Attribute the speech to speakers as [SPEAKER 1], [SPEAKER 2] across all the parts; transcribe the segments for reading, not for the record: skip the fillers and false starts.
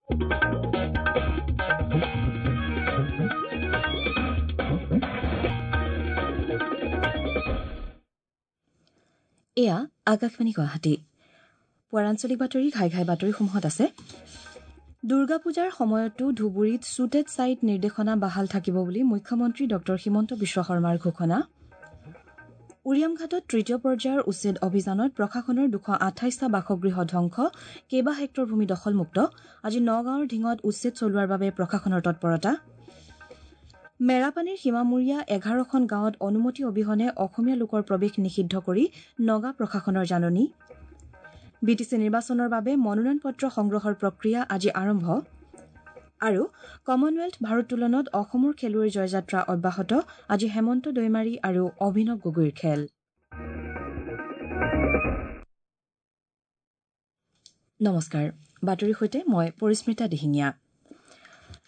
[SPEAKER 1] এয়া আকাশবাণী গুৱাহাটী। পুৱাৰ আঞ্চলিক বাতৰি ঘাই ঘাই বাতৰিসমূহত আছে: দুৰ্গা পূজাৰ সময়তো ধুবুৰীত শ্বুটেড ছাইট নিৰ্দেশনা বাহাল থাকিব বুলি মুখ্যমন্ত্ৰী ডঃ হিমন্ত বিশ্ব শৰ্মাৰ ঘোষণা। উৰিয়ামঘাটত তৃতীয় পৰ্যায়ৰ উচ্ছেদ অভিযানত প্ৰশাসনৰ 228টা বাসগৃহ ধ্বংস, কেইবা হেক্টৰ ভূমি দখলমুক্ত। আজি নগাঁৱৰ ঢিঙত উচ্ছেদ চলোৱাৰ বাবে প্ৰশাসনৰ তৎপৰতা। মেৰাপানীৰ সীমামূৰীয়া 11খন গাঁৱত অনুমতি অবিহনে অসমীয়া লোকৰ প্ৰৱেশ নিষিদ্ধ কৰি নগা প্ৰশাসনৰ জাননী। বিটিচি নিৰ্বাচনৰ বাবে মনোনয়ন পত্ৰ সংগ্ৰহৰ প্ৰক্ৰিয়া আজি আৰম্ভ। আৰু কমনৱেলথ ভাৰোত্তোলনত অসমৰ খেলুৱৈৰ জয়যাত্ৰা অব্যাহত, আজি হেমন্ত দৈমাৰী আৰু অভিনৱ গগৈৰ খেল। নমস্কাৰ, বাতৰিৰ সৈতে মই পৰিস্মিতা দিহিঙীয়া।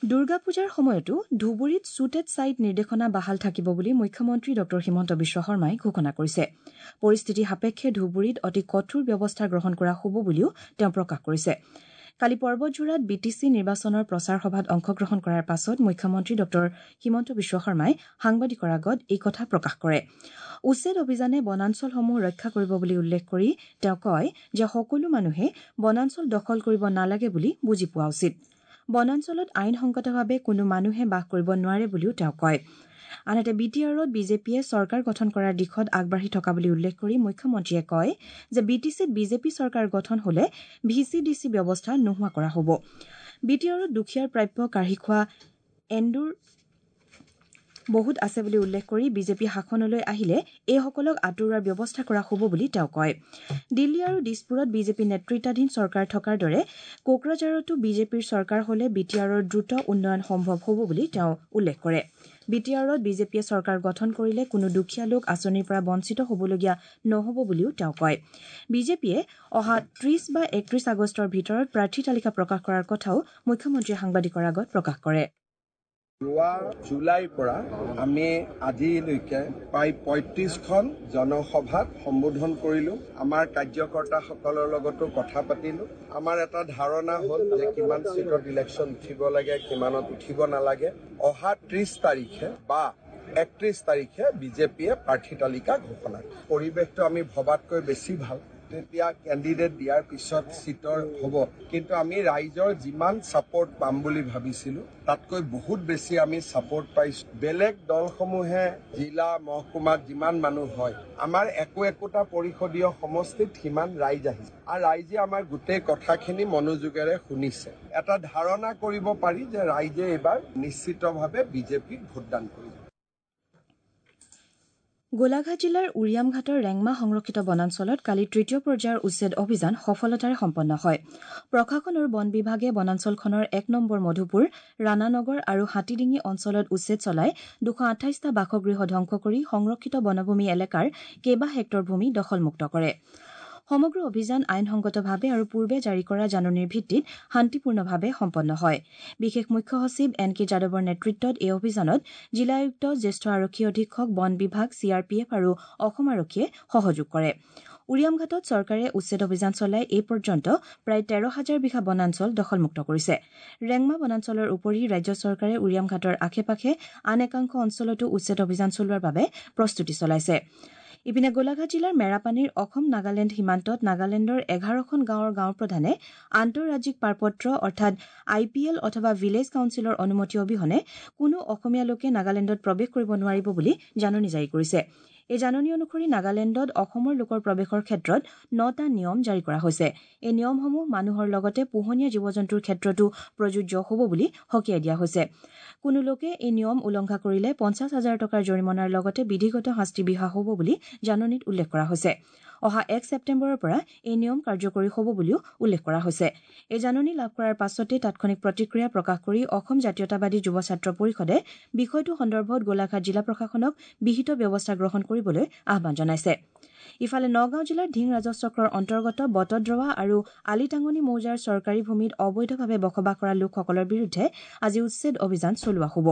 [SPEAKER 1] দুৰ্গা পূজাৰ সময়তো ধুবুৰীত শ্বুটেড ছাইট নিৰ্দেশনা বাহাল থাকিব বুলি মুখ্যমন্ত্ৰী ডঃ হিমন্ত বিশ্ব শৰ্মাই ঘোষণা কৰিছে। পৰিস্থিতি সাপেক্ষে ধুবুৰীত অতি কঠোৰ ব্যৱস্থা গ্ৰহণ কৰা হ'ব বুলিও তেওঁ প্ৰকাশ কৰিছে। কালি পৰ্বতঝোৰাত বিটিচি নিৰ্বাচনৰ প্ৰচাৰ সভাত অংশগ্ৰহণ কৰাৰ পাছত মুখ্যমন্ত্ৰী ডঃ হিমন্ত বিশ্ব শৰ্মাই সাংবাদিকৰ আগত এই কথা প্ৰকাশ কৰে। উচ্ছেদ অভিযানে বনাঞ্চলসমূহ ৰক্ষা কৰিব বুলি উল্লেখ কৰি তেওঁ কয় যে সকলো মানুহে বনাঞ্চল দখল কৰিব নালাগে বুলি বুজি পোৱা উচিত। বনাঞ্চলত আইনসংগতভাৱে কোনো মানুহে বাস কৰিব নোৱাৰে বুলিও তেওঁ কয়। আনহাতে বি টি আৰত বিজেপিয়ে চৰকাৰ গঠন কৰাৰ দিশত আগবাঢ়ি থকা বুলি উল্লেখ কৰি মুখ্যমন্ত্ৰীয়ে কয় যে বি টি চিত বিজেপি চৰকাৰ গঠন হলে ভি চি ডি চি ব্যৱস্থা নোহোৱা কৰা হ'ব। বি টি আৰত দুখীয়াৰ প্ৰাপ্য কাঢ়ি খোৱা এন্দুৰ বহুত আছে বুলি উল্লেখ কৰি বিজেপি শাসনলৈ আহিলে এইসকলক আঁতৰোৱাৰ ব্যৱস্থা কৰা হ'ব বুলি তেওঁ কয়। দিল্লী আৰু দিছপুৰত বিজেপি নেতৃত্বাধীন চৰকাৰ থকাৰ দৰে কোকৰাঝাৰতো বিজেপিৰ চৰকাৰ হলে বি টি আৰৰ দ্ৰুত উন্নয়ন সম্ভৱ হ'ব বুলি তেওঁ উল্লেখ কৰে। বি টি আৰত বিজেপিয়ে চৰকাৰ গঠন কৰিলে কোনো দুখীয়া লোক আঁচনিৰ পৰা বঞ্চিত হ'বলগীয়া নহ'ব বুলিও তেওঁ কয়। বিজেপিয়ে অহা 30 বা 31 আগষ্টৰ ভিতৰত প্ৰাৰ্থী তালিকা প্ৰকাশ কৰাৰ কথাও মুখ্যমন্ত্ৰীয়ে সাংবাদিকৰ আগত প্ৰকাশ কৰে।
[SPEAKER 2] যোৱা জুলাইৰ পৰা আমি আজিলৈকে প্ৰায় 35খন জনসভাত সম্বোধন কৰিলোঁ। আমাৰ কাৰ্যকৰ্তাসকলৰ লগতো কথা পাতিলোঁ। আমাৰ এটা ধাৰণা হ'ল যে কিমান চিটত ইলেকশ্যন উঠিব লাগে, কিমানত উঠিব নালাগে। অহা 30 তাৰিখে বা 31 তাৰিখে বিজেপিয়ে প্ৰাৰ্থী তালিকা ঘোষণা। পৰিৱেশটো আমি ভবাতকৈ বেছি ভাল। তেতিয়া কেণ্ডিডেট দিয়াৰ পিছত চিটৰ হ'ব, কিন্তু আমি ৰাইজৰ যিমান ছাপৰ্ট পাম বুলি ভাবিছিলোঁ তাতকৈ বহুত বেছি আমি ছাপৰ্ট পাইছোঁ। বেলেগ দলসমূহে জিলা মহকুমাত যিমান মানুহ হয়, আমাৰ একো একোটা পৰিষদীয় সমষ্টিত সিমান ৰাইজ আহিছে আৰু ৰাইজে আমাৰ গোটেই কথাখিনি মনোযোগেৰে শুনিছে। এটা ধাৰণা কৰিব পাৰি যে ৰাইজে এইবাৰ নিশ্চিতভাৱে বিজেপিক ভোটদান কৰিব।
[SPEAKER 1] গোলাঘাট জিলাৰ উৰিয়ামঘাটৰ ৰেংমা সংৰক্ষিত বনাঞ্চলত কালি তৃতীয় পৰ্যায়ৰ উচ্ছেদ অভিযান সফলতাৰে সম্পন্ন হয়। প্ৰশাসন আৰু বন বিভাগে বনাঞ্চলখনৰ 1 নম্বৰ মধুপুৰ, ৰাণানগৰ আৰু হাতীডিঙি অঞ্চলত উচ্ছেদ চলাই 228টা বাসগৃহ ধ্বংস কৰি সংৰক্ষিত বনভূমি এলেকাৰ কেইবা হেক্টৰ ভূমি দখলমুক্ত কৰে। সমগ্ৰ অভিযান আইনসংগতভাৱে আৰু পূৰ্বে জাৰি কৰা জাননীৰ ভিত্তিত শান্তিপূৰ্ণভাৱে সম্পন্ন হয়। বিশেষ মুখ্য সচিব এন কে যাদৱৰ নেতৃত্বত এই অভিযানত জিলা আয়ুক্ত, জ্যেষ্ঠ আৰক্ষী অধীক্ষক, বন বিভাগ, চি আৰ পি এফ আৰু অসম আৰক্ষীয়ে সহযোগ কৰে। উৰিয়ামঘাটত চৰকাৰে উচ্ছেদ অভিযান চলাই এই পৰ্যন্ত প্ৰায় 13 হাজাৰ বিঘা বনাঞ্চল দখলমুক্ত কৰিছে। ৰেংমা বনাঞ্চলৰ উপৰি ৰাজ্য চৰকাৰে উৰিয়ামঘাটৰ আশে পাশে আন একাংশ অঞ্চলতো উচ্ছেদ অভিযান চলোৱাৰ বাবে প্ৰস্তুতি চলাইছে। ইপিনে গোলাঘাট জিলাৰ মেৰাপানীৰ অসম নাগালেণ্ড সীমান্তত নাগালেণ্ডৰ 11খন গাঁৱৰ গাঁওপ্ৰধানে আন্তঃৰাজ্যিক পাৰপত্ৰ অৰ্থাৎ আই পি এল অথবা ভিলেজ কাউন্সিলৰ অনুমতি অবিহনে কোনো অসমীয়া লোকে নাগালেণ্ডত প্ৰৱেশ কৰিব নোৱাৰিব বুলি জাননী জাৰি কৰিছে। এই জাননী অনুসৰি নাগালেণ্ডত অসমৰ লোকৰ প্ৰৱেশৰ ক্ষেত্ৰত 9টা নিয়ম জাৰি কৰা হৈছে। এই নিয়মসমূহ মানুহৰ লগতে পোহনীয়া জীৱ জন্তুৰ ক্ষেত্ৰতো প্ৰযোজ্য হ'ব বুলি সকীয়াই দিয়া হৈছে। কোনো লোকে এই নিয়ম উলংঘা কৰিলে 50 হাজাৰ টকাৰ জৰিমনাৰ লগতে বিধিগত শাস্তি বিহা হ'ব বুলি জাননীত উল্লেখ কৰা হৈছে। অহা 1 ছেপ্টেম্বৰৰ পৰা এই নিয়ম কাৰ্যকৰী হ'ব বুলিও উল্লেখ কৰা হৈছে। এই জাননী লাভ কৰাৰ পাছতে তাৎক্ষণিক প্ৰতিক্ৰিয়া প্ৰকাশ কৰি অসম জাতীয়তাবাদী যুৱ ছাত্ৰ পৰিষদে বিষয়টো সন্দৰ্ভত গোলাঘাট জিলা প্ৰশাসনক বিহিত ব্যৱস্থা গ্ৰহণ কৰিবলৈ আহ্বান জনাইছে। ইফালে নগাঁও জিলাৰ ধিং ৰাজহ চক্ৰৰ অন্তৰ্গত বটদ্ৰৱা আৰু আলিটাঙনি মৌজাৰ চৰকাৰী ভূমিত অবৈধভাৱে বসবাস কৰা লোকসকলৰ বিৰুদ্ধে আজি উচ্ছেদ অভিযান চলোৱা হ'ব।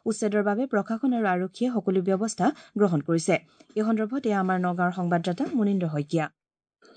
[SPEAKER 1] উচ্ছেদৰ বাবে প্ৰশাসন আৰু আৰক্ষীয়ে সকলো ব্যৱস্থা গ্ৰহণ কৰিছে। এই সন্দৰ্ভত এয়া আমাৰ নগাঁৱৰ সংবাদদাতা মুনীন্দ্ৰ শইকীয়া।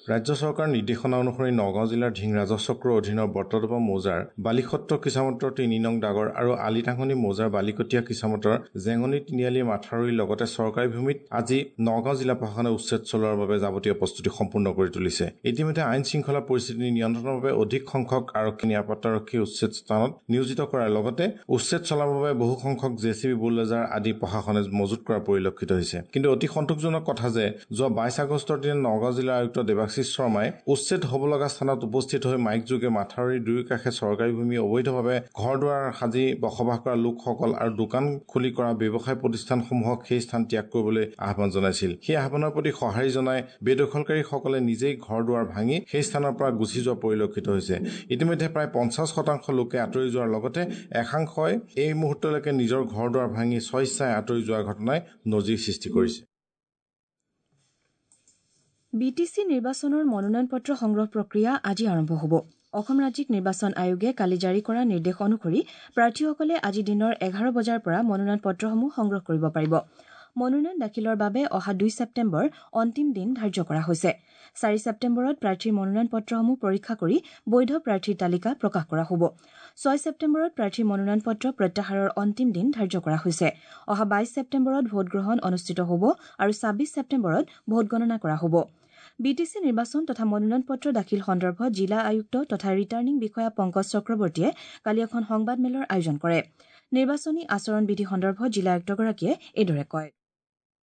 [SPEAKER 3] ৰাজ্য চৰকাৰৰ নিৰ্দেশনা অনুসৰি নগাঁও জিলাৰ ধিং ৰাজহ চক্ৰৰ অধীনৰ বটদ্ৰৱা মৌজাৰ বালিসত্ৰ কিচামতৰ 3 নং ডাগৰ আৰু আলিটাঙনি মৌজাৰ বালিকটীয়া কিচামতৰ জেঙনি তিনিআলি মাথাউৰিৰ লগতে চৰকাৰী ভূমিত আজি নগাঁও জিলা প্ৰশাসনে উচ্ছেদ চলোৱাৰ বাবে যাৱতীয় প্ৰস্তুতি সম্পূৰ্ণ কৰি তুলিছে। ইতিমধ্যে আইন শৃংখলা পৰিস্থিতি নিয়ন্ত্ৰণৰ বাবে অধিক সংখ্যক আৰক্ষী, নিৰাপত্তাৰক্ষী উচ্ছেদ স্থানত নিয়োজিত কৰাৰ লগতে উচ্ছেদ চলাবৰ বাবে বহু সংখ্যক জে চি বি, বুলডজাৰ আদি প্ৰশাসনে মজুত কৰা পৰিলক্ষিত হৈছে। কিন্তু অতি সন্তোষজনক কথা যে যোৱা 22 আগষ্টৰ দিনা নগাঁও জিলাৰ আয়ুক্ত দেৱাশীষ শৰ্মাই উচ্ছেদ হ'ব লগা স্থানত উপস্থিত হৈ মাইকযোগে মাথাউৰিৰ দুয়োকাষে চৰকাৰী ভূমি অবৈধভাৱে ঘৰ দুৱাৰ সাজি বসবাস কৰা লোকসকল আৰু দোকান খুলি কৰা ব্যৱসায় প্ৰতিষ্ঠানসমূহক সেই স্থান ত্যাগ কৰিবলৈ আহ্বান জনাইছিল। সেই আহ্বানৰ প্ৰতি সঁহাৰি জনাই বেদখলকাৰীসকলে নিজেই ঘৰ দুৱাৰ ভাঙি সেই স্থানৰ পৰা গুচি যোৱা পৰিলক্ষিত হৈছে। ইতিমধ্যে প্ৰায় 50% লোকে আঁতৰি যোৱাৰ লগতে একাংশই এই মুহূৰ্তলৈকে নিজৰ ঘৰ দুৱাৰ ভাঙি স্বেচ্ছাই আঁতৰি যোৱাৰ ঘটনাই নজিৰ সৃষ্টি কৰিছে।
[SPEAKER 1] বি টি চি নিৰ্বাচনৰ মনোনয়ন পত্ৰ সংগ্ৰহ প্ৰক্ৰিয়া আজি আৰম্ভ হ'ব। অসম ৰাজ্যিক নিৰ্বাচন আয়োগে কালি জাৰি কৰা নিৰ্দেশ অনুসৰি প্ৰাৰ্থীসকলে আজি দিনৰ 11 বজাৰ পৰা মনোনয়ন পত্ৰসমূহ সংগ্ৰহ কৰিব পাৰিব। মনোনয়ন দাখিলৰ বাবে অহা 2 ছেপ্টেম্বৰ অন্তিম দিন ধাৰ্য কৰা হৈছে। 4 ছেপ্টেম্বৰত প্ৰাৰ্থীৰ মনোনয়ন পত্ৰসমূহ পৰীক্ষা কৰি বৈধ প্ৰাৰ্থীৰ তালিকা প্ৰকাশ কৰা হ'ব। 6 ছেপ্টেম্বৰত প্ৰাৰ্থীৰ মনোনয়ন পত্ৰ প্ৰত্যাহাৰৰ অন্তিম দিন ধাৰ্য কৰা হৈছে। অহা 22 ছেপ্টেম্বৰত ভোটগ্ৰহণ অনুষ্ঠিত হ'ব আৰু 26 ছেপ্টেম্বৰত ভোটগণনা কৰা হ'ব। বি টি চি নিৰ্বাচন তথা মনোনয়ন পত্ৰ দাখিল সন্দৰ্ভত জিলা আয়ুক্ত তথা ৰিটাৰ্ণিং বিষয়া পংকজ চক্ৰৱৰ্তীয়ে কালি এখন সংবাদমেলৰ আয়োজন কৰে। নিৰ্বাচনী আচৰণ বিধি সন্দৰ্ভত জিলা আয়ুক্তগৰাকীয়ে এইদৰে কয়।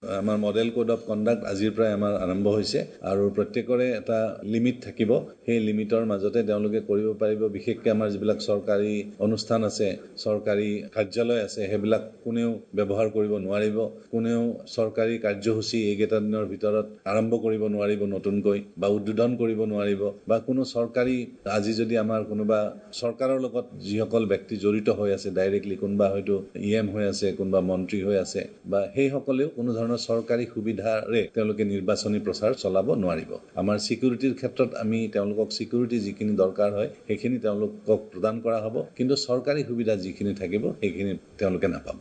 [SPEAKER 4] আমাৰ মডেল কোড অফ কণ্ডাক্ট আজিৰ পৰাই আমাৰ আৰম্ভ হৈছে আৰু প্ৰত্যেকৰে এটা লিমিট থাকিব। সেই লিমিটৰ মাজতে তেওঁলোকে কৰিব পাৰিব। বিশেষকৈ আমাৰ যিবিলাক চৰকাৰী অনুষ্ঠান আছে, চৰকাৰী কাৰ্যালয় আছে, সেইবিলাক কোনেও ব্যৱহাৰ কৰিব নোৱাৰিব। কোনেও চৰকাৰী কাৰ্যসূচী এইকেইটা দিনৰ ভিতৰত আৰম্ভ কৰিব নোৱাৰিব নতুনকৈ বা উদ্বোধন কৰিব নোৱাৰিব বা কোনো চৰকাৰী আজি যদি আমাৰ কোনোবা চৰকাৰৰ লগত যিসকল ব্যক্তি জড়িত হৈ আছে ডাইৰেক্টলি, কোনোবা হয়তো ই এম হৈ আছে, কোনোবা মন্ত্ৰী হৈ আছে, বা সেইসকলেও কোনো ধৰণৰ চৰকাৰী সুবিধাৰে তেওঁলোকে নিৰ্বাচনী প্ৰচাৰ চলাব নোৱাৰিব। আমাৰ ছিকিউৰিটিৰ ক্ষেত্ৰত আমি তেওঁলোকক ছিকিউৰিটি যিখিনি দৰকাৰ হয় সেইখিনি তেওঁলোকক প্ৰদান কৰা হ'ব, কিন্তু চৰকাৰী সুবিধা যিখিনি থাকিব সেইখিনি তেওঁলোকে নাপাব।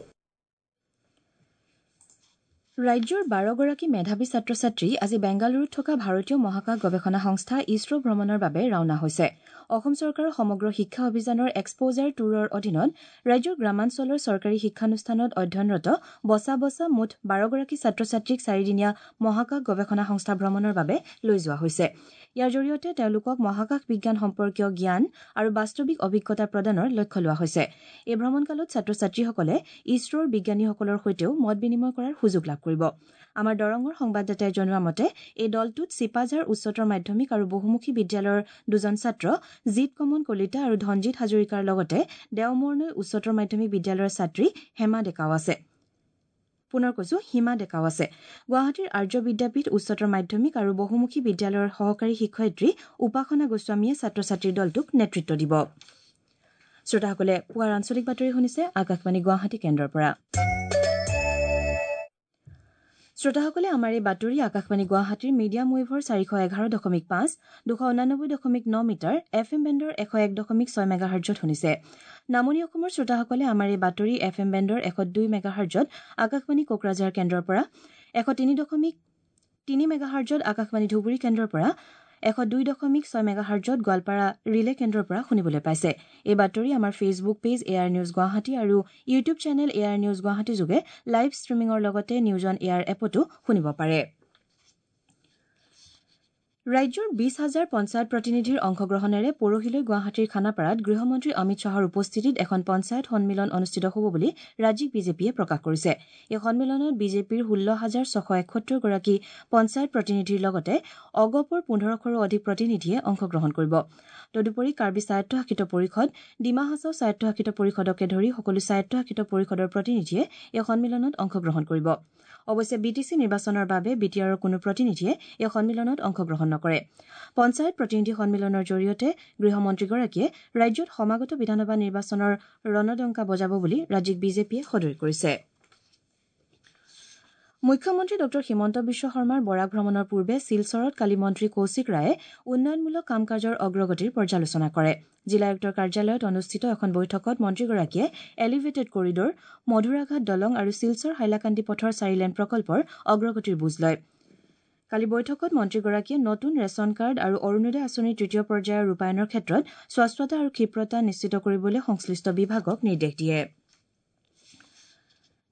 [SPEAKER 1] ৰাজ্যৰ 12গৰাকী মেধাৱী ছাত্ৰ ছাত্ৰী আজি বেংগালুৰুত থকা ভাৰতীয় মহাকাশ গৱেষণা সংস্থা ইছৰ' ভ্ৰমণৰ বাবে ৰাওনা হৈছে। অসম চৰকাৰৰ সমগ্ৰ শিক্ষা অভিযানৰ এক্সপ'জাৰ ট্যুৰৰ অধীনত ৰাজ্যৰ গ্ৰামাঞ্চলৰ চৰকাৰী শিক্ষানুষ্ঠানত অধ্যয়নৰত বচা বচা মুঠ 12গৰাকী ছাত্ৰ ছাত্ৰীক চাৰিদিনীয়া মহাকাশ গৱেষণা সংস্থা ভ্ৰমণৰ বাবে লৈ যোৱা হৈছে। ইয়াৰ জৰিয়তে তেওঁলোকক মহাকাশ বিজ্ঞান সম্পৰ্কীয় জ্ঞান আৰু বাস্তৱিক অভিজ্ঞতা প্ৰদানৰ লক্ষ্য লোৱা হৈছে। এই ভ্ৰমণকালত ছাত্ৰ ছাত্ৰীসকলে ইছৰ'ৰ বিজ্ঞানীসকলৰ সৈতেও মত বিনিময় কৰাৰ সুযোগ লাভ কৰিব। আমাৰ দৰঙৰ সংবাদদাতাই জনোৱা মতে এই দলটোত চিপাঝাৰ উচ্চতৰ মাধ্যমিক আৰু বহুমুখী বিদ্যালয়ৰ দুজন ছাত্ৰ জিত কমন কলিতা আৰু ধনজিৎ হাজৰিকাৰ লগতে দেওমৰনৈ উচ্চতৰ মাধ্যমিক বিদ্যালয়ৰ ছাত্ৰী হেমা ডেকাও আছে। পুনৰ কৈছো, হিমা ডেকাও আছে। গুৱাহাটীৰ আৰ্য বিদ্যাপীঠ উচ্চতৰ মাধ্যমিক আৰু বহুমুখী বিদ্যালয়ৰ সহকাৰী শিক্ষয়িত্ৰী উপাসনা গোস্বামীয়ে ছাত্ৰ ছাত্ৰীৰ দলটোক নেতৃত্ব দিব। শ্ৰোতাসকলে পুৱাৰ আঞ্চলিক বাতৰি শুনিছে আকাশবাণী গুৱাহাটী কেন্দ্ৰৰ পৰা। শ্ৰোতাসকলে আমাৰ এই বাতৰি আকাশবাণী গুৱাহাটীৰ মিডিয়াম ৱেভৰ 411.5, 289.9 মিটাৰ, এফ এম বেণ্ডৰ 101.6 মেগাহাৰ্জত শুনিছে। নামনি অসমৰ শ্ৰোতাসকলে আমাৰ এই বাতৰি এফ এম বেণ্ডৰ 102 মেগাহাৰ্জত আকাশবাণী কোকৰাঝাৰ কেন্দ্ৰৰ পৰা, 103.3 মেগাহাৰ্জত আকাশবাণী ধুবুৰী কেন্দ্ৰৰ পৰা, 102.6 মেগাহাৰ্জত গোৱালপাৰা ৰিলে কেন্দ্ৰৰ পৰা শুনিবলৈ পাইছে। এই বাতৰি আমাৰ Facebook page AIR news Guwahati আৰু YouTube channel AIR news Guwahati যোগে লাইভ ষ্ট্ৰীমিঙৰ লগতে নিউজ অন এয়াৰ এপতো শুনিব পাৰে। ৰাজ্যৰ 20 হাজাৰ পঞ্চায়ত প্ৰতিনিধিৰ অংশগ্ৰহণেৰে পৰহিলৈ গুৱাহাটীৰ খানাপাৰাত গৃহমন্ত্ৰী অমিত শ্বাহৰ উপস্থিতিত এখন পঞ্চায়ত সন্মিলন অনুষ্ঠিত হ'ব বুলি ৰাজ্যিক বিজেপিয়ে প্ৰকাশ কৰিছে। এই সন্মিলনত বিজেপিৰ 16,671গৰাকী পঞ্চায়ত প্ৰতিনিধিৰ লগতে অগপৰ 1500ৰো অধিক প্ৰতিনিধিয়ে অংশগ্ৰহণ কৰিব। তদুপৰি কাৰ্বি স্বায়ত্তশাসিত পৰিষদ, ডিমা হাছাও স্বায়ত্তশাসিত পৰিষদকে ধৰি সকলো স্বায়ত্তশাসিত পৰিষদৰ প্ৰতিনিধিয়ে এই সন্মিলনত অংশগ্ৰহণ কৰিব। অৱশ্যে বি টি চি নিৰ্বাচনৰ বাবে বি টি আৰৰ কোনো প্ৰতিনিধিয়ে এই সন্মিলনত অংশগ্ৰহণ নকৰে। পঞ্চায়ত প্ৰতিনিধি সন্মিলনৰ জৰিয়তে গৃহমন্ত্ৰীগৰাকীয়ে ৰাজ্যত সমাগত বিধানসভা নিৰ্বাচনৰ ৰণডংকা বজাব বুলি ৰাজ্যিক বিজেপিয়ে সদৰি কৰিছে। মুখ্যমন্ত্ৰী ডঃ হিমন্ত বিশ্ব শৰ্মাৰ বৰাক ভ্ৰমণৰ পূৰ্বে শিলচৰত কালি মন্ত্ৰী কৌশিক ৰায়ে উন্নয়নমূলক কাম কাজৰ অগ্ৰগতিৰ পৰ্যালোচনা কৰে। জিলা আয়ুক্তৰ কাৰ্যালয়ত অনুষ্ঠিত এখন বৈঠকত মন্ত্ৰীগৰাকীয়ে এলিভেটেড কৰিডৰ, মধুৰাঘাট দলং আৰু শিলচৰ হাইলাকান্দি পথৰ চাৰিলেন প্ৰকল্পৰ অগ্ৰগতিৰ বুজ লয়। কালি বৈঠকত মন্ত্ৰীগৰাকীয়ে নতুন ৰেচন কাৰ্ড আৰু অৰুণোদয় আঁচনিৰ তৃতীয় পৰ্যায়ৰ ৰূপায়ণৰ ক্ষেত্ৰত স্বচ্ছতা আৰু ক্ষিপ্ৰতা নিশ্চিত কৰিবলৈ সংশ্লিষ্ট বিভাগক নিৰ্দেশ দিয়ে।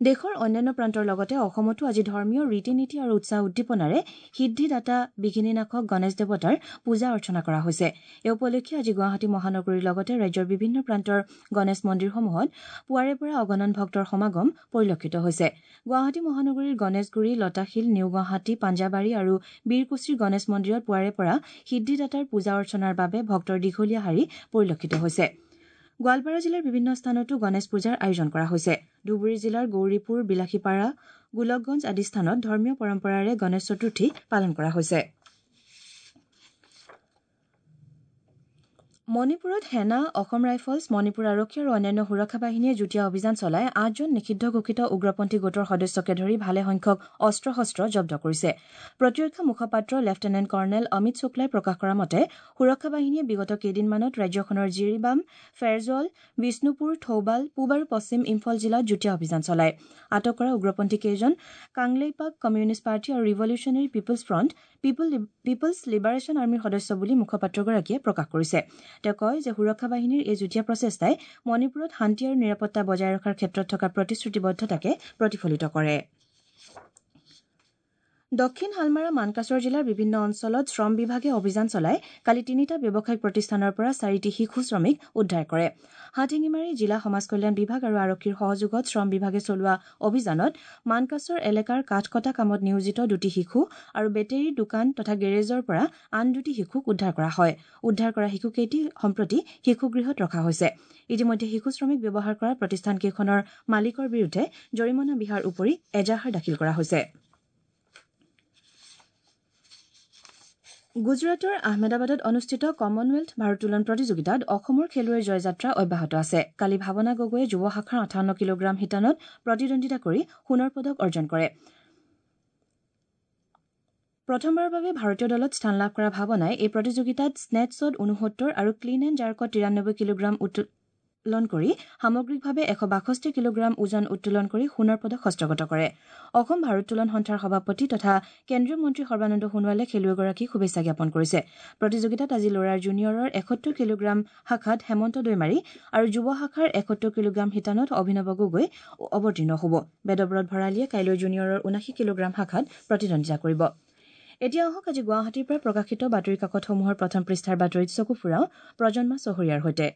[SPEAKER 1] দেশৰ অন্যান্য প্ৰান্তৰ লগতে অসমতো আজি ধৰ্মীয় ৰীতি নীতি আৰু উৎসাহ উদ্দীপনাৰে সিদ্ধিদাতা বিঘিনীনাশক গণেশ দেৱতাৰ পূজা অৰ্চনা কৰা হৈছে। এই উপলক্ষে আজি গুৱাহাটী মহানগৰীৰ লগতে ৰাজ্যৰ বিভিন্ন প্ৰান্তৰ গণেশ মন্দিৰসমূহত পুৱাৰে পৰা অগণন ভক্তৰ সমাগম পৰিলক্ষিত হৈছে। গুৱাহাটী মহানগৰীৰ গণেশগুৰি, লতাশিল, নিউ গুৱাহাটী, পাঞ্জাবাৰী আৰু বীৰকুছিৰ গণেশ মন্দিৰত পুৱাৰে পৰা সিদ্ধিদাতাৰ পূজা অৰ্চনাৰ বাবে ভক্তৰ দীঘলীয়া শাৰী পৰিলক্ষিত হৈছে। গোৱালপাৰা জিলাৰ বিভিন্ন স্থানতো গণেশ পূজাৰ আয়োজন কৰা হৈছে। ধুবুৰী জিলাৰ গৌৰীপুৰ, বিলাসীপাৰা, গোলকগঞ্জ আদি স্থানত ধৰ্মীয় পৰম্পৰাৰে গণেশ চতুৰ্থী পালন কৰা হৈছে। মণিপুৰত সেনা, অসম ৰাইফলছ, মণিপুৰ আৰক্ষী আৰু অন্যান্য সুৰক্ষা বাহিনীয়ে যুটীয়া অভিযান চলাই ৮জন নিষিদ্ধ ঘোষিত উগ্ৰপন্থী গোটৰ সদস্যকে ধৰি ভালেসংখ্যক অস্ত্ৰ শস্ত্ৰ জব্দ কৰিছে। প্ৰতিৰক্ষা মুখপাত্ৰ লেফটেনেণ্ট কৰ্ণেল অমিত শুক্লাই প্ৰকাশ কৰা মতে সুৰক্ষা বাহিনীয়ে বিগত কেইদিনমানত ৰাজ্যখনৰ জিৰিবাম, ফেৰজল, বিষ্ণুপুৰ, থৌবাল, পূব আৰু পশ্চিম ইম্ফল জিলাত যুটীয়া অভিযান চলায়। আটক কৰা উগ্ৰপন্থীকেইজন কাংলেইপাক কমিউনিষ্ট পাৰ্টি আৰু revolutionary people's front, people's liberation আৰ্মীৰ সদস্য বুলি মুখপাত্ৰগৰাকীয়ে প্ৰকাশ কৰিছে। তেওঁ কয় যে সুৰক্ষা বাহিনীৰ এই যুটীয়া প্ৰচেষ্টাই মণিপুৰত শান্তি আৰু নিৰাপত্তা বজাই ৰখাৰ ক্ষেত্ৰত থকা প্ৰতিশ্ৰুতিবদ্ধতাকে প্ৰতিফলিত কৰে। দক্ষিণ হালমাৰা মানকাচৰ জিলাৰ বিভিন্ন অঞ্চলত শ্ৰম বিভাগে অভিযান চলাই কালি ৩টা ব্যৱসায়িক প্ৰতিষ্ঠানৰ পৰা ৪টি শিশু শ্ৰমিক উদ্ধাৰ কৰে। হাটশিঙিমাৰী জিলা সমাজ কল্যাণ বিভাগ আৰু আৰক্ষীৰ সহযোগত শ্ৰম বিভাগে চলোৱা অভিযানত মানকাচৰ এলেকাৰ কাঠ কটা কামত নিয়োজিত ২টি শিশু আৰু বেটেৰীৰ দোকান তথা গেৰেজৰ পৰা আন ২টি শিশুক উদ্ধাৰ কৰা হয়। উদ্ধাৰ কৰা শিশুকেইটি সম্প্ৰতি শিশুগৃহত ৰখা হৈছে। ইতিমধ্যে শিশু শ্ৰমিক ব্যৱহাৰ কৰা প্ৰতিষ্ঠানকেইখনৰ মালিকৰ বিৰুদ্ধে জৰিমনা বিহাৰ উপৰি এজাহাৰ দাখিল কৰা হৈছে। গুজৰাটৰ আহমেদাবাদত অনুষ্ঠিত কমনৱেলথ ভাৰোত্তোলন প্ৰতিযোগিতাত অসমৰ খেলুৱৈৰ জয়যাত্ৰা অব্যাহত আছে। কালি ভাৱনা গগৈয়ে যুৱ শাখাৰ ৫৮ কিলোগ্ৰাম শিতানত প্ৰতিদ্বন্দ্বিতা কৰি সোণৰ পদক অৰ্জন কৰে। প্ৰথমবাৰৰ বাবে ভাৰতীয় দলত স্থান লাভ কৰা ভাৱনাই এই প্ৰতিযোগিতাত স্নেটছত ৬৯ আৰু ক্লিন এণ্ড জাৰ্কত ৯৩ কিলোগ্ৰাম উত্তোলন কৰি সামগ্ৰিকভাৱে ১৬২ কিলোগ্ৰাম ওজন উত্তোলন কৰি সোণৰ পদক হস্তগত কৰে। অসম ভাৰোত্তোলন সন্থাৰ সভাপতি তথা কেন্দ্ৰীয় মন্ত্ৰী সৰ্বানন্দ সোণোৱালে খেলুৱৈগৰাকীক শুভেচ্ছা জ্ঞাপন কৰিছে। প্ৰতিযোগিতাত আজি ল'ৰাৰ জুনিয়ৰৰ ৭১ কিলোগ্ৰাম শাখাত হেমন্ত দৈমাৰী আৰু যুৱ শাখাৰ ৭১ কিলোগ্ৰাম শিতানত অভিনৱ গগৈ অৱতীৰ্ণ হ'ব। বেদব্ৰত ভৰালীয়ে কাইলৈ জুনিয়ৰৰ ৭৯ কিলোগ্ৰাম শাখাত প্ৰতিদ্বন্দ্বিতা কৰিব। এতিয়া আহক আজি গুৱাহাটীৰ পৰা প্ৰকাশিত বাতৰি কাকতসমূহৰ প্ৰথম পৃষ্ঠাৰ বাতৰিত চকু ফুৰাওঁ প্ৰজন্মা চহৰীয়াৰ সৈতে।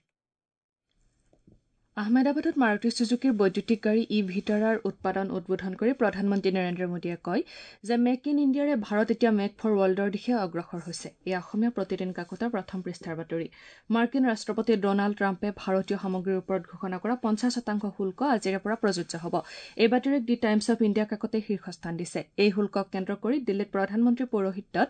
[SPEAKER 5] আহমেদাবাদত মাৰুতি চুজুকিৰ বৈদ্যুতিক গাড়ী ই ভিটাৰাৰ উৎপাদন উদ্বোধন কৰি প্ৰধানমন্ত্ৰী নৰেন্দ্ৰ মোদীয়ে কয় যে মেক ইন ইণ্ডিয়াৰে ভাৰত এতিয়া মেক ফৰ ৱৰ্ল্ডৰ দিশে অগ্ৰসৰ হৈছে। এই অসমীয়া প্ৰতিদিন কাকতৰ প্ৰথম পৃষ্ঠাৰ বাতৰি। মাৰ্কিন ৰাষ্ট্ৰপতি ডনাল্ড ট্ৰাম্পে ভাৰতীয় সামগ্ৰীৰ ওপৰত ঘোষণা কৰা ৫০% শুল্ক আজিৰে পৰা প্ৰযোজ্য হ'ব। এই বাতৰিক দি টাইমছ অৱ ইণ্ডিয়া কাকতে শীৰ্ষস্থান দিছে। এই শুল্কক কেন্দ্ৰ কৰি দিল্লীত প্ৰধানমন্ত্ৰীৰ পৌৰোহিত্যত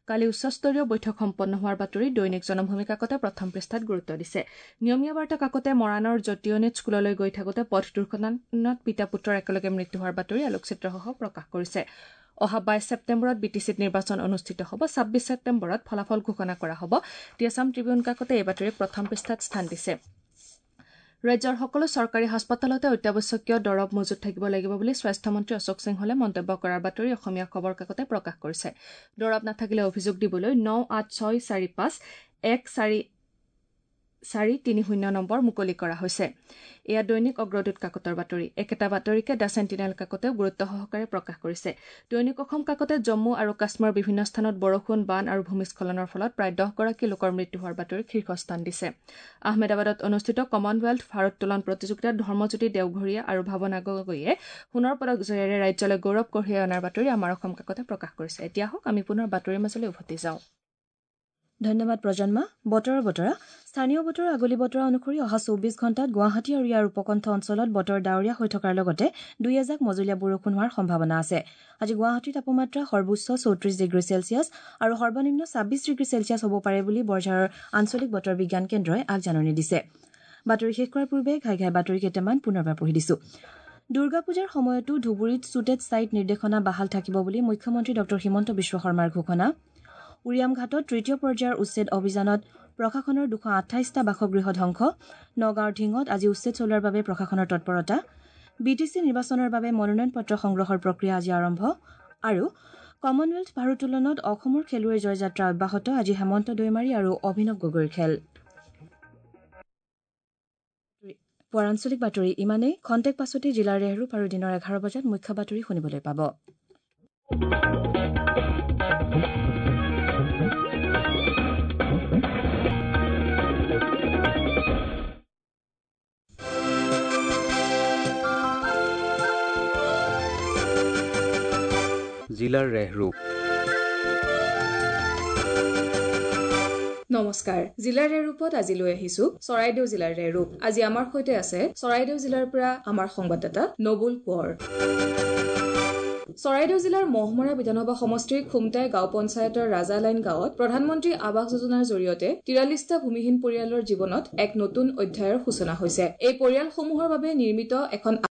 [SPEAKER 5] কালি উচ্চস্তৰীয় বৈঠক সম্পন্ন হোৱাৰ বাতৰি দৈনিক জনভূমি কাকতে প্ৰথম পৃষ্ঠাত গুৰুত্ব দিছে। নিয়মীয়া বাৰ্তা কাকতে মৰাণৰ জ্যোতিয়নিত স্কুললৈ গৈ থাকোঁতে পথ দুৰ্ঘটনাত পিতা পুত্ৰৰ একেলগে মৃত্যু হোৱাৰ বাতৰি আলোকচিত্ৰসহ প্ৰকাশ কৰিছে। অহা ২২ ছেপ্টেম্বৰত বি টি চিত নিৰ্বাচন অনুষ্ঠিত হ'ব। ২৬ ছেপ্টেম্বৰত ফলাফল ঘোষণা কৰা হ'ব। দি আছাম ট্ৰিবিউন কাকতে এই বাতৰিক প্ৰথম পৃষ্ঠাত স্থান দিছে। ৰাজ্যৰ সকলো চৰকাৰী হাস্পতালতে অত্যাৱশ্যকীয় দৰৱ মজুত থাকিব লাগিব বুলি স্বাস্থ্যমন্ত্ৰী অশোক সিংহলে মন্তব্য কৰাৰ বাতৰি অসমীয়া খবৰ কাকতে প্ৰকাশ কৰিছে। দৰৱ নাথাকিলে অভিযোগ দিবলৈ ৯৮৬৪৫ ১৪৪৩০ নম্বৰ মুকলি কৰা হৈছে। এয়া দৈনিক অগ্ৰদূত কাকতৰ বাতৰি। একেটা বাতৰিকে the sentinel কাকতেও গুৰুত্ব সহকাৰে প্ৰকাশ কৰিছে। দৈনিক অসম কাকতে জম্মু আৰু কাশ্মীৰৰ বিভিন্ন স্থানত বৰষুণ, বান আৰু ভূমিস্খলনৰ ফলত প্ৰায় ১০গৰাকী লোকৰ মৃত্যু হোৱাৰ বাতৰিক শীৰ্ষস্থান দিছে। আহমেদাবাদত অনুষ্ঠিত কমনৱেলথ ভাৰোত্তোলন প্ৰতিযোগিতাত ধৰ্মজ্যোতি দেওঘৰীয়া আৰু ভাৱনা গগৈয়ে সোণৰ পদক জয়েৰে ৰাজ্যলৈ গৌৰৱ কঢ়িয়াই অনাৰ বাতৰি আমাৰ অসম কাকতে প্ৰকাশ কৰিছে। এতিয়া হওক আমি পুনৰ বাতৰিৰ মাজলৈ উভতি যাওঁ।
[SPEAKER 1] ধন্যবাদ প্ৰজন্মা। বতৰৰ বতৰা। স্থানীয় বতৰৰ আগলি বতৰা অনুসৰি অহা ২৪ ঘণ্টাত গুৱাহাটী আৰু ইয়াৰ উপকণ্ঠ অঞ্চলত বতৰ ডাৱৰীয়া হৈ থকাৰ লগতে দুই এজাক মজলীয়া বৰষুণ হোৱাৰ সম্ভাৱনা আছে। আজি গুৱাহাটীৰ তাপমাত্ৰা সৰ্বোচ্চ ৩৪ ডিগ্ৰী চেলছিয়াছ আৰু সৰ্বনিম্ন ২৬ ডিগ্ৰী চেলছিয়াছ হ'ব পাৰে বুলি বৰঝাৰৰ আঞ্চলিক বতৰ বিজ্ঞান কেন্দ্ৰই আগজাননী দিছে। বাতৰি শেষ কৰাৰ পূৰ্বে ঘাই ঘাই বাতৰি কেইটামান পুনৰবাৰ পঢ়ি দিছো। দুৰ্গা পূজাৰ সময়তো ধুবুৰীত চুটেড ছাইট নিৰ্দেশনা বাহাল থাকিব বুলি মুখ্যমন্ত্ৰী ডঃ হিমন্ত বিশ্ব শৰ্মাৰ ঘোষণা। উৰিয়ামঘাটত তৃতীয় পৰ্যায়ৰ উচ্ছেদ অভিযানত প্ৰশাসনৰ ২২৮টা বাসগৃহ ধ্বংস। নগাঁৱৰ ঢিঙত আজি উচ্ছেদ চলোৱাৰ বাবে প্ৰশাসনৰ তৎপৰতা। বি টি চি নিৰ্বাচনৰ বাবে মনোনয়ন পত্ৰ সংগ্ৰহৰ প্ৰক্ৰিয়া আজি আৰম্ভ। আৰু কমনৱেলথ ভাৰোত্তোলনত অসমৰ খেলুৱৈৰ জয়যাত্ৰা অব্যাহত। আজি হেমন্ত দৈমাৰী আৰু অভিনৱ গগৈৰ খেল। পুৱাৰ আঞ্চলিক বাতৰি ইমানেই। খন্তেক পাছতে জিলাৰ ৰেহৰূপ আৰু দিনৰ 11 বজাত মুখ্য বাতৰি শুনিবলৈ পাব।
[SPEAKER 6] জিলাৰ ৰেহৰূপ।
[SPEAKER 7] নমস্কাৰ, জিলাৰ ৰেহৰূপত আজি লৈ আহিছো চৰাইদেউ জিলাৰ ৰেহৰূপ। আজি আমাৰ সৈতে আছে চৰাইদেউ জিলাৰ পৰা আমাৰ সংবাদদাতা নবুল কোঁৱৰ। চৰাইদেউ জিলাৰ মহমৰা বিধানসভা সমষ্টিৰ খুমটাই গাঁও পঞ্চায়তৰ ৰাজালাইন গাঁৱত প্ৰধানমন্ত্ৰী আৱাস যোজনাৰ জৰিয়তে 43টা ভূমিহীন পৰিয়ালৰ জীৱনত এক নতুন অধ্যায়ৰ সূচনা হৈছে। এই পৰিয়ালসমূহৰ বাবে নিৰ্মিত এখন